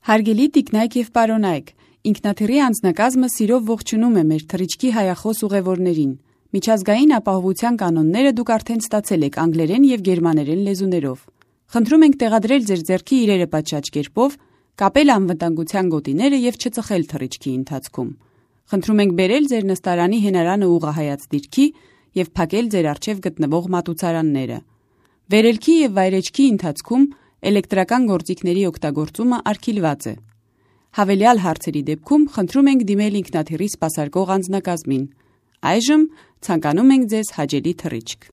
Հարգելի տիկնայք և պարոնայք, ինքնաթիռի անձնակազմը սիրով ողջունում է մեր թռիչքի հայախոս ուղևորներին։ Միջազգային ապահովության կանոնները դուք արդեն ստացել եք անգլերեն և գերմաներեն լեզուներով։ Խնդրում ենք տեղադրել ձեր ձեռքի իրերը պատշաճ կերպով, կապել անվտանգության գոտիները և չծխել թռիչքի ընթացքում։ Խնդրում ենք բերել ձեր նստարանի հենարանը ուղղահայաց դիրքի և փակել ձեր առջև գտնվող մատուցարանները։ Վերելքի և վայրէջքի ընթացքում էլեկտրական գործիքների օգտագործումը արգելված է։ Հավելյալ հարցերի դեպքում խնդրում ենք դիմել ինքնաթիռի սպասարկող անձնակազմին։ Այժմ ցանկանում ենք ձեզ հաճելի թռիչք։